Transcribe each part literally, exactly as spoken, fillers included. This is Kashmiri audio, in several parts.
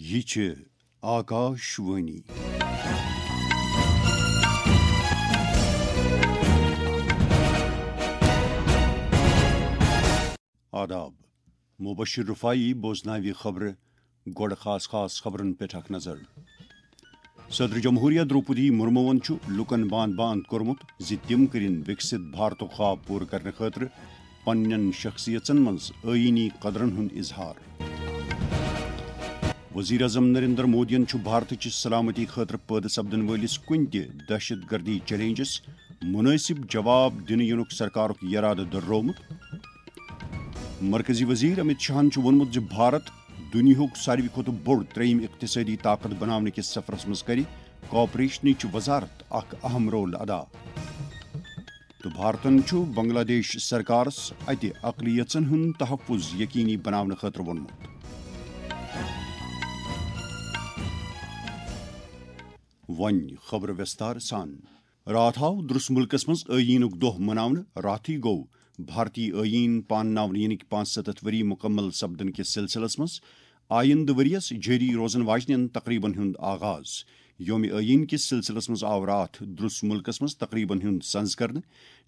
یہِ چھِ آکاش وانی۔ آداب۔ مبشر رفاعی بوزناوِ خبرٕ۔ گۄڈٕ خاص خاص خبرن پٮ۪ٹھ اکھ نظر۔ صدر جمہوریہ درٛوپدی مرموَن چھُ لوٗکَن باند باند کوٚرمُت زِ تِم کٔرِن وِکسِت بھارتُک خواب پوٗرٕ کرنہٕ خٲطرٕ پننٮ۪ن شخصیژن منٛز ٲیٖنی قدرن ہُنٛد اظہار۔ وزیر اعظم نریندر مودیَن چھُ بھارتٕچ سلامتی خٲطرٕ پٲدٕ سپدن وٲلِس کُنہِ تہِ دہشت گردی چیلنجس مناسب جواب دِنہٕ یِنُک سرکارُک یرادٕ دۄہرومُت۔ مرکزی وزیر امت شاہن چھُ ووٚنمُت زِ بھارت دُنیاہُک ساروی کھۄتہٕ بوٚڑ ترٛیٚیِم اقتصٲدی طاقت بناونہٕ کِس سفرس منٛز کرِ کوآپریشنٕچ وزارت اکھ اہم رول ادا۔ تہٕ بھارتن چھُ بنگلہ دیش سرکارس اتہِ اقلیژن ہُنٛد تحفظ یقینی بناونہٕ خٲطرٕ ووٚنمُت۔ وۄنۍ خبرٕ وستار سان۔ راتھ آو درس ملکس منٛز ٲییٖنُک دۄہ مناونہٕ۔ راتھٕے گوٚو بھارتی ٲییٖن پانناونہٕ یِنٕکۍ پانٛژھ ستتھ ؤری مُکمل سپدن کِس سلسلس منٛز آیندٕ ؤریَس جٲری روزن واجنٮ۪ن تقریبن ہُنٛد آغاز۔ یوم ٲییٖن کِس سلسلس منٛز آو راتھ درس ملکس منٛز تقریبن ہُنٛد سنز کرنہٕ۔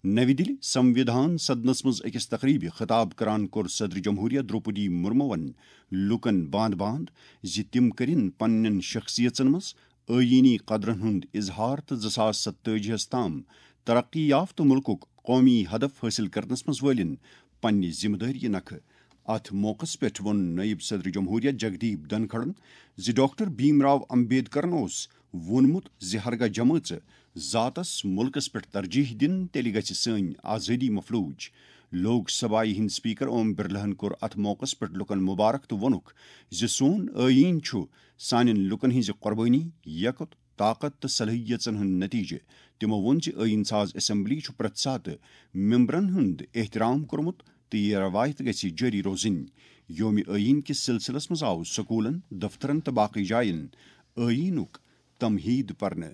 نوِ دِلہِ سموِدھان سدنس منٛز أکِس تقریبہِ خطاب کران کوٚر صدر جمہوریہ درٛوپدی مرموَن لوٗکن باند باند زِ تِم کٔرِن پننٮ۪ن شخصیژن منٛز ٲییٖنی قدرن ہُنٛد اظہار تہٕ زٕ ساس ستٲجی ہَس تام ترقی یافتہٕ مُلکُک قومی ہدف حٲصِل کرنس منٛز وٲلِن پننہِ ذمہٕ دٲری نکھٕ۔ اتھ موقعس پٮ۪ٹھ ووٚن نٲیِب صدر جمہوریہ جگدیپ دھنکھڑن زِ ڈاکٹر بھیم راو امبیڈکرن اوس ووٚنمُت زِ ہرگاہ جمٲژ ذاتس مُلکس پٮ۪ٹھ ترجیح دِن، تیٚلہِ گژھِ سٲنۍ آزٲدی مفلوٗج۔ لوک سبھایہ ہٕنٛدۍ سپیکر اوم برلاہن کوٚر اتھ موقعس پٮ۪ٹھ لوٗکن مبارک تہٕ ووٚنُکھ زِ سون ٲییٖن چھُ سانٮ۪ن لوٗکن ہٕنٛزِ قۄربٲنی، یکُت، طاقت تہٕ صلٲحیژن ہُنٛد نتیجہٕ۔ تِمو ووٚن زِ ٲییٖن ساز اسمبلی چھُ پرٛٮ۪تھ ساتہٕ ممبرن ہُنٛد احترام کوٚرمُت تہٕ یہِ روایت گژھِ جٲری روزٕنۍ۔ یوم ٲییٖن کِس سلسلس منٛز آو سکوٗلن، دفترن تہٕ باقٕے جاین ٲییٖنُک تمہیٖد پرنہٕ۔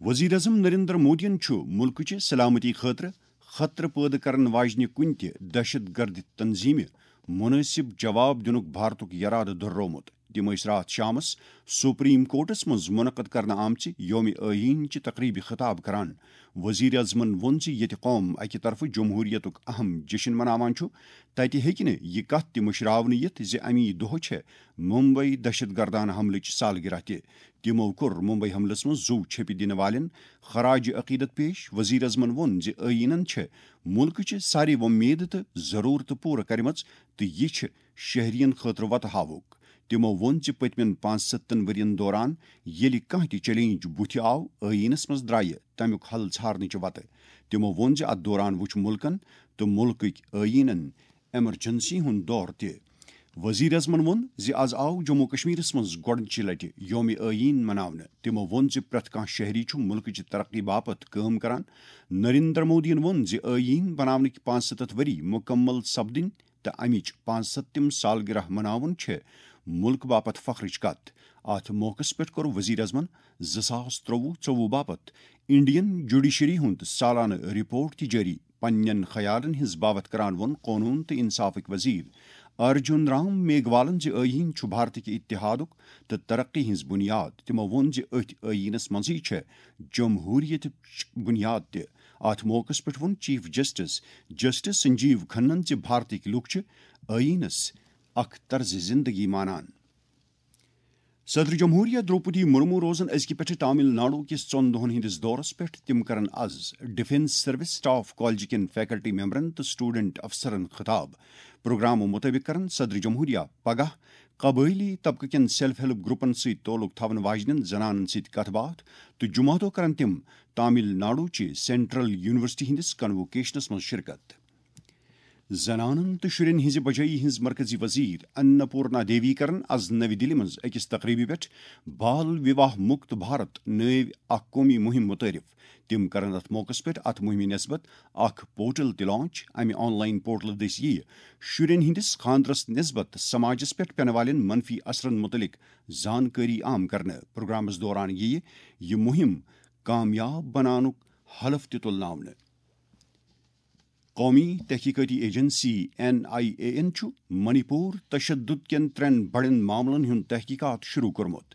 وزیر اعظم نریندر مودیَن چھُ مُلکٕچہِ سلامتی خٲطرٕ خطرٕ پٲدٕ کرن واجنہِ کُنہِ تہِ دہشت گرد تنظیمہِ مناسب جواب دِنُک بھارتُک یرادٕ دۄہرومُت۔ تِم ٲسۍ راتھ شامس سپریم کورٹس منٛز منعقد کرنہٕ آمژِ یوم ٲیین چہِ تقریبہِ خطاب کران۔ وزیر اعظمن ووٚن زِ ییٚتہِ قوم اکہِ طرفہٕ جمہوریتُک اہم جشن مناوان چھُ، تتہِ ہیٚکہِ نہٕ یہِ کتھ تہِ مٔشراونہٕ یِتھ زِ امی دۄہ چھےٚ ممبئی دہشت گردانہٕ حملٕچ سالگرہ تہِ۔ تِمو کوٚر ممبئی حملس منٛز زُو چھیٚپہِ دِنہٕ والٮ۪ن خراج عقیدت پیش۔ وزیر اعظمن ووٚن زِ ٲییٖنن چھےٚ مُلکٕچہِ سارے وۄمید تہٕ ضروٗرتہٕ پوٗرٕ کرِمژ تہٕ یہِ چھِ شہرین خٲطرٕ وتہٕ ہاوُک۔ تِمو ووٚن زِ پٔتمٮ۪ن پانٛژھ ستن ؤرین دوران ییٚلہِ کانٛہہ تہِ چیلنج بُتھِ آو، ٲییٖنس منٛز درٛایہِ تمیُک حل ژھارنٕچہِ وتہٕ۔ تِمو ووٚن زِ اتھ دوران وُچھ مُلکن تہٕ مُلکٕکۍ ٲییٖنن ایمرجنسی ہُنٛد دور تہِ۔ وزیر اعظمن ووٚن زِ از آو جموں کشمیرس منٛز گۄڈٕنچہِ لٹہِ یوم ٲییٖن مناونہٕ۔ تِمو ووٚن زِ پرٛٮ۪تھ کانٛہہ شہری چھُ مُلکٕچہِ ترقی باپتھ کٲم کران۔ نریندر مودیَن ووٚن زِ ٲییٖن بناونٕکۍ پانٛژھ ستتھ ؤری مُکمل سپدٕنۍ تہٕ امِچ پانٛژھ ستتِم سالگرہ مناوُن چھِ مُلک باپتھ فخرٕچ کتھ۔ اتھ موقعس پٮ۪ٹھ کوٚر وزیر اعظمن زٕ ساس ترٛوُہ ژوٚوُہ باپتھ انڈین جوڈیشری ہُنٛد سالانہٕ رپورٹ تہِ جٲری۔ پننٮ۪ن خیالن ہٕنٛز باوتھ کران ووٚن قونوٗن تہٕ انصافٕکۍ وزیر ارجُن رام میگوالن زِ ٲییٖن چھُ بھارتٕکہِ اتحادُک تہٕ ترقی ہٕنٛز بُنیاد۔ تِمو ووٚن زِ أتھۍ ٲییٖنس منٛزٕے چھےٚ جمہوریتٕچ بُنیاد تہِ۔ اتھ موقعس پٮ۪ٹھ ووٚن چیف جسٹس جسٹس سنجیو کھنن زِ بھارتٕکۍ لوٗکھ چھِ ٲییٖنس اکھ طرزِ زندگی مانان۔ صدر جمہوریہ درٛوپدی مرمو روزن أزکہِ پٮ۪ٹھٕ تامل ناڈو کِس ژۄن دۄہن ہٕنٛدِس دورس پٮ۪ٹھ۔ تِم کرن از ڈیفنس سروس سٹاف کالجہِ کٮ۪ن فیکلٹی ممبرن تہٕ سٹوڈنٹ افسرن خطاب۔ پروگرامہٕ مُطٲبِق کرن صدر جمہوریہ پگاہ قبٲئلی طبقہٕ کٮ۪ن سیلف ہیلپ گروپن سۭتۍ تعلق تھاون واجنٮ۪ن زنانن سۭتۍ کتھ باتھ تہٕ جمعہ دۄہ کرن تِم تامل ناڈو چہِ سینٹرل یونیورسٹی ہٕنٛدِس کنووکیشنس منٛز شرکت۔ زنانن تہٕ شُرٮ۪ن ہٕنٛزِ بجٲیی ہٕنٛز مرکزی وزیر اناپورنا دیوی کرن از نوِ دِلہِ منٛز أکِس تقریبہِ پٮ۪ٹھ بال وِواہ مُکت بھارت نٲوۍ اکھ قومی مُہِم مُتعٲرِف۔ تِم کرن اتھ موقعس پٮ۪ٹھ اتھ مُہِمہِ نسبت اکھ پورٹل تہِ لانچ۔ امہِ آن لائن پورٹل دٔسۍ یِیہِ شُرٮ۪ن ہٕنٛدِس خاندرس نسبت سماجس پٮ۪ٹھ پٮ۪نہٕ والٮ۪ن منفی اثرن مُتعلق زانکٲری عام کرنہٕ۔ پروگرامس دوران یِیہِ یہِ مُہِم کامیاب بناونُک حلف تہِ تُلناونہٕ۔ قومی تحقیقاتی ایجنسی این آئی اے یَن چھُ منی پور تشدد کٮ۪ن ترٛٮ۪ن بڑٮ۪ن معاملن ہُنٛد تحقیقات شروع کوٚرمُت۔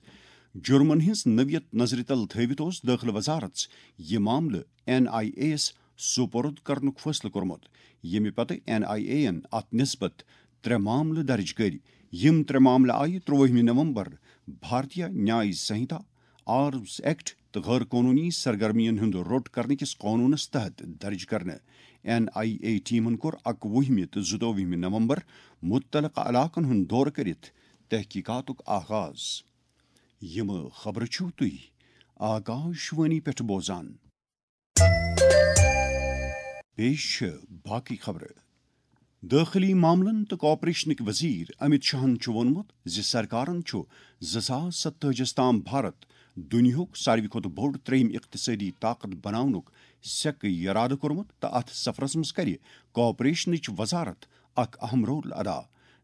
جرمن ہٕنٛز نوعیت نظرِ تل تھٲوِتھ اوس دٲخلہٕ وزارت یہِ معاملہٕ این آئی اے یَس سپرد کرنُک فٲصلہٕ کوٚرمُت، ییٚمہِ پتہٕ این آئی اے یَن اتھ نسبت ترٛےٚ معاملہٕ درج کٔرۍ۔ یِم ترٛےٚ معاملہٕ آیہِ ترٛوٲہمہِ نومبر بھارتیہ نیای سنہتا، آرمز ایکٹ تہٕ غٲر قونوٗنی سرگرمیَن ہُنٛد روٚٹ کرنہٕ کِس قونوٗنَس تحت درج کرنہٕ۔ این آئی اے ٹیمَن کوٚر اَکوُہمہِ تہٕ زٕتووُہمہِ نومبر مُتعلقہٕ علاقَن ہُنٛد دورٕ کٔرِتھ تحقیقاتُک آغاز۔ یِم خبرٕ چھِو تُہۍ آکاش وانی پٮ۪ٹھ بوزان۔ پیش چھِ باقٕے خبرٕ۔ دٲخلی معاملن تہٕ کاپریشنٕکۍ وزیر امت شاہن چھُ ووٚنمُت زِ سرکارن چھُ زٕ ساس ستٲجِس تام بھارت دُنیاہُک ساروی کھۄتہٕ بوٚڑ ترٛیٚیِم اقتصٲدی طاقت بناونُک سیٚکہٕ یرادٕ کوٚرمُت تہٕ اتھ سفرس منٛز کرِ کاپریشنٕچ وزارت اکھ اہم رول ادا۔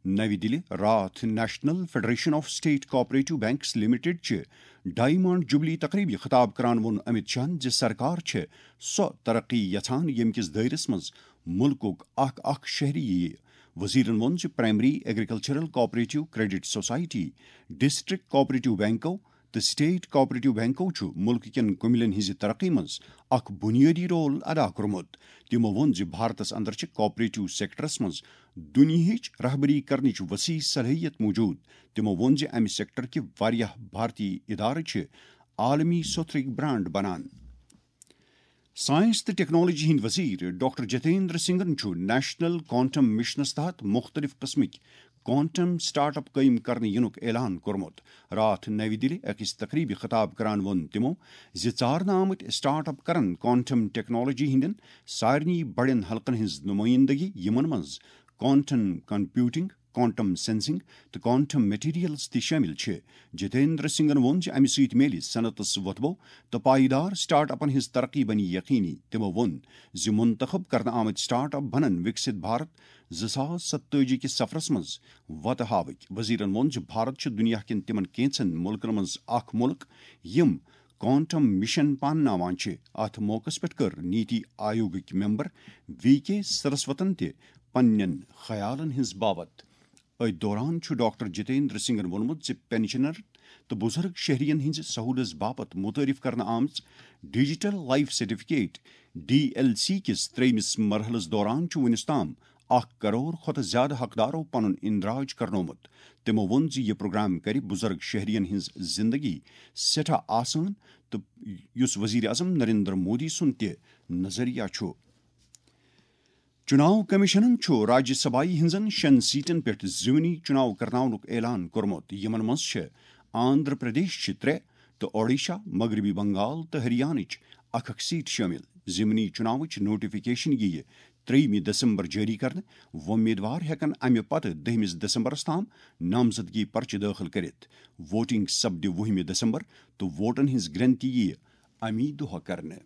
نَوِ دِلہِ راتھ national federation of state cooperative banks limited چہِ ڈائمنڈ جوبلی تقریبہِ خطاب کران ووٚن امت شاہن زِ سرکار چھِ سۄ ترقی یژھان، ییٚمہِ کِس دٲیرس منٛز مُلکُک اکھ اکھ شہری یِیہِ۔ وزیرن ووٚن زِ primary agricultural cooperative credit society, district cooperative بینکو تہٕ سٹیٹ کوآپریٹو بینکو چھُ مُلکہٕ کٮ۪ن کُمِلٮ۪ن ہٕنٛزِ ترقی منٛز اکھ بُنیٲدی رول ادا کوٚرمُت۔ تِمو ووٚن زِ بھارتس اندر چھِ کوآپریٹو سیکٹرس منٛز دُنیاہٕچ رہبری کرنٕچ وسیع صلٲحیت موجود۔ تِمو ووٚن زِ امہِ سیکٹر کہِ واریاہ بھارتی ادارٕ چھِ عالمی سوتھرٕکۍ برانڈ بنان۔ سائنس تہٕ ٹیکنالوجی ہٕنٛدۍ وزیر ڈاکٹر جتیندر سنگھن چھُ نیشنل کوانٹم مشنَس تحت مُختٔلِف قٕسمٕکۍ کوانٹم سٹارٹ اپ قٲیِم کرنہٕ یِنُک اعلان کوٚرمُت۔ راتھ نَوِ دِلہِ أکِس تقریبہِ خطاب کران ووٚن تِمو زِ ژارنہٕ آمٕتۍ سٹارٹ اپ کرن کوانٹم ٹیکنالوجی ہٕنٛدٮ۪ن سارنٕے بڑٮ۪ن حلقن ہٕنٛز نُمٲیِندگی، یِمن منٛز کوانٹم کمپیوٹنگ، کوانٹم سینسنگ تہٕ کوانٹم میٹیریلز تہِ شٲمِل چھِ۔ جتیندر سنگھن ووٚن زِ امہِ سۭتۍ میلہِ صنعتس وۄتھبو تہٕ پائیدار سٹارٹ اپن ہٕنٛز ترقی بنہِ یقینی۔ تِمو ووٚن زِ منتخب کرنہٕ آمٕتۍ سٹارٹ اپ بنن وکسِت بھارت زٕ ساس ستٲجی کِس سفرس منٛز وتہٕ ہاوٕکۍ۔ وزیرن ووٚن زِ بھارت چھُ دُنیا کٮ۪ن تِمن کینٛژن مُلکن منٛز اکھ مُلک، یِم کوانٹم مشن پانناوان چھِ۔ اتھ موقعس پٮ۪ٹھ کٔر نیتی آیوگٕکۍ ممبر وی کے سرسوتن تہِ پننٮ۪ن خیالن ہٕنٛز باوتھ۔ أتھۍ دوران چھُ ڈاکٹر جتیندر سنگھن ووٚنمُت زِ پینشنر تہٕ بُزرگ شہرین ہٕنٛزِ سہوٗلژ باپتھ متعارف کرنہٕ آمٕژ digital life certificate, D L C کِس ترٛیٚیمِس مرحلس دوران چھُ وُنیُس تام اکھ کرور کھۄتہٕ زیادٕ حقدارو پنُن اندراج کرنومُت۔ تِمو ووٚن زِ یہِ پروگرام کرِ بُزرگ شہرین ہٕنٛز زندگی سٮ۪ٹھاہ آسان، تہٕ یُس وزیر اعظم نریندر مودی سُنٛد تہِ نظریہ چھُ۔ چُناو کمیشنن چھُ راجیہ سبھایہ ہٕنٛزن شٮ۪ن سیٹن پٮ۪ٹھ ضمنی چُناو کرناونُک اعلان کوٚرمُت، یِمن منٛز چھِ آندھرا پردیش چہِ ترٛےٚ تہٕ اوڈیشہ، مغربی بنگال تہٕ ہریانٕچ اکھ اکھ سیٹ شٲمِل۔ ضمنی چُناوٕچ نوٹیفکیشن یِیہِ ترٛیٚیِمہِ دسمبر جٲری کرنہٕ۔ وۄمیدوار ہٮ۪کن امہِ پتہٕ دٔہمِس دسمبرس تام نامزدگی پرچہٕ دٲخل کٔرِتھ۔ ووٹنگ سپدِ وُہمہِ دسمبر تہٕ ووٹن ہٕنٛز گنتی یِیہِ امی دۄہ کرنہٕ۔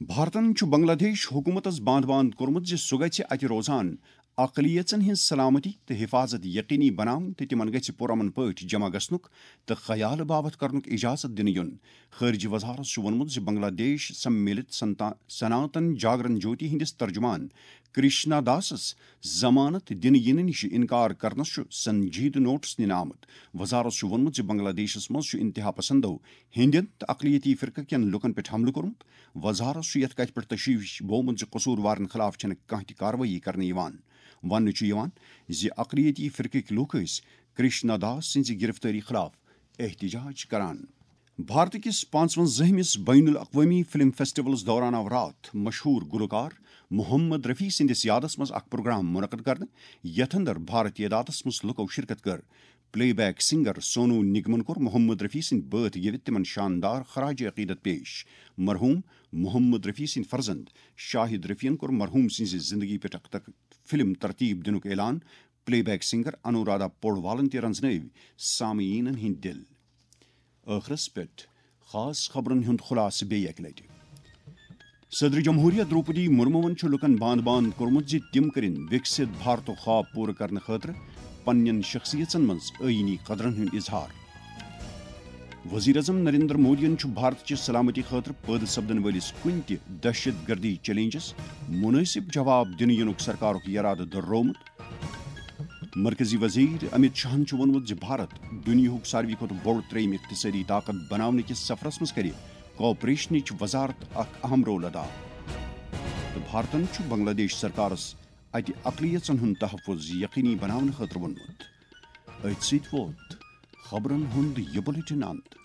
بھارتن چھُ بنگلہ دیش حکومتس باندھ باندھ کوٚرمُت زِ سُہ گژھِ اتہِ روزان اقلیژن ہٕنٛز سلامتی تہٕ حفاظت یقینی بناوٕنۍ تہٕ تِمن گژھِ پُرامن پٲٹھۍ جمع گژھنُک تہٕ خیالہٕ باوتھ کرنُک اجازت دِنہٕ یُن۔ خارجہ وزارت چھُ ووٚنمُت زِ بنگلہ دیش سمیلت سنتا-، سناتن جاگرن جوتی ہٕنٛدِس ترجمان کرشنا داسس ضمانت دِنہٕ یِنہٕ نِش انکار کرنس چھُ سنجیدٕ نوٹس نِنہٕ آمُت۔ وزارت چھُ ووٚنمُت زِ بنگلہ دیشس منٛز چھُ انتہا پسندو ہیٚنٛدٮ۪ن تہٕ اقلیتی فرقہٕ کٮ۪ن لوٗکن پٮ۪ٹھ حملہٕ کوٚرمُت۔ وزارت چھُ یتھ کتھِ پٮ۪ٹھ تشویش بوومُت زِ قصوٗروارن خلاف چھنہٕ کانٛہہ تہِ کاروٲیی کرنہٕ یِوان۔ وننہٕ چھُ یِوان زِ اقلیتی فرقٕکۍ لوٗکھ ٲسۍ کرشنا داس سٕنٛزِ گرفتٲری خلاف احتجاج کران۔ بھارت کِس پانٛژوَنزٲہمِس بین الاقوٲمی فلم فیسٹیولس دوران آو راتھ مشہوٗر گلوکار محمد رفیع سٕنٛدِس یادس منٛز اکھ پروگرام منعقد کرنہٕ، یتھ اندر بھارتی اداتس منٛز لوٗکو شرکت کٔر۔ پلے بیک سنگر سونو نگمن کوٚر محمد رفیع سٕنٛدۍ بٲتھ گیٚوِتھ تِمن شاندار خراج عقیدت پیش۔ مرحوم محمد رفیع سٕنٛدۍ فرزند شاہد رفیعن کوٚر مرحوم سٕنٛزِ زندگی پٮ۪ٹھ اکھ تک-، فلم ترتیب دِنُک اعلان۔ پلے بیک سنگر انورادھا پوڈوالن تہِ رنزنٲوۍ سامعیٖنن ہٕنٛدۍ دِل۔ ٲخرس پٮ۪ٹھ خاص خبرن ہُنٛد خلاصہٕ بیٚیہِ اکہِ لٹہِ۔ صدر جمہوریہ دروپدی مرموَن چھُ لوٗکَن باندھ باندھ کوٚرمُت زِ تِم کٔرِن وِکسِت بھارتُک خواب پوٗرٕ کرنہٕ خٲطرٕ پننٮ۪ن شخصیژن منٛز آئینی قدرن ہُنٛد اظہار۔ وزیر اعظم نریندر مودیَن چھُ بھارت چہِ سلامتی خٲطرٕ پٲدٕ سپدن وٲلِس کُنہِ تہِ دہشت گردی چیلنجس مناسب جواب دِنہٕ یِنُک سرکارُک یرادٕ دۄہرومُت۔ مرکزی وزیر امت شاہن چھُ ووٚنمُت زِ بھارت دُنیاہُک ساروی کھۄتہٕ بوٚڑ ترٛیٚیِم اقتصٲدی طاقت بناونہٕ کِس سفرس منٛز کرِ کوآپریشنٕچ وزارت اکھ اہم رول ادا۔ تہٕ بھارتن چھُ بنگلہ دیش سرکارس اتہِ اقلیژن ہُنٛد تحفظ یقینی بناونہٕ خٲطرٕ ووٚنمُت۔ أتھۍ سۭتۍ ووت خبرن ہُنٛد یہِ بلیٹن اند۔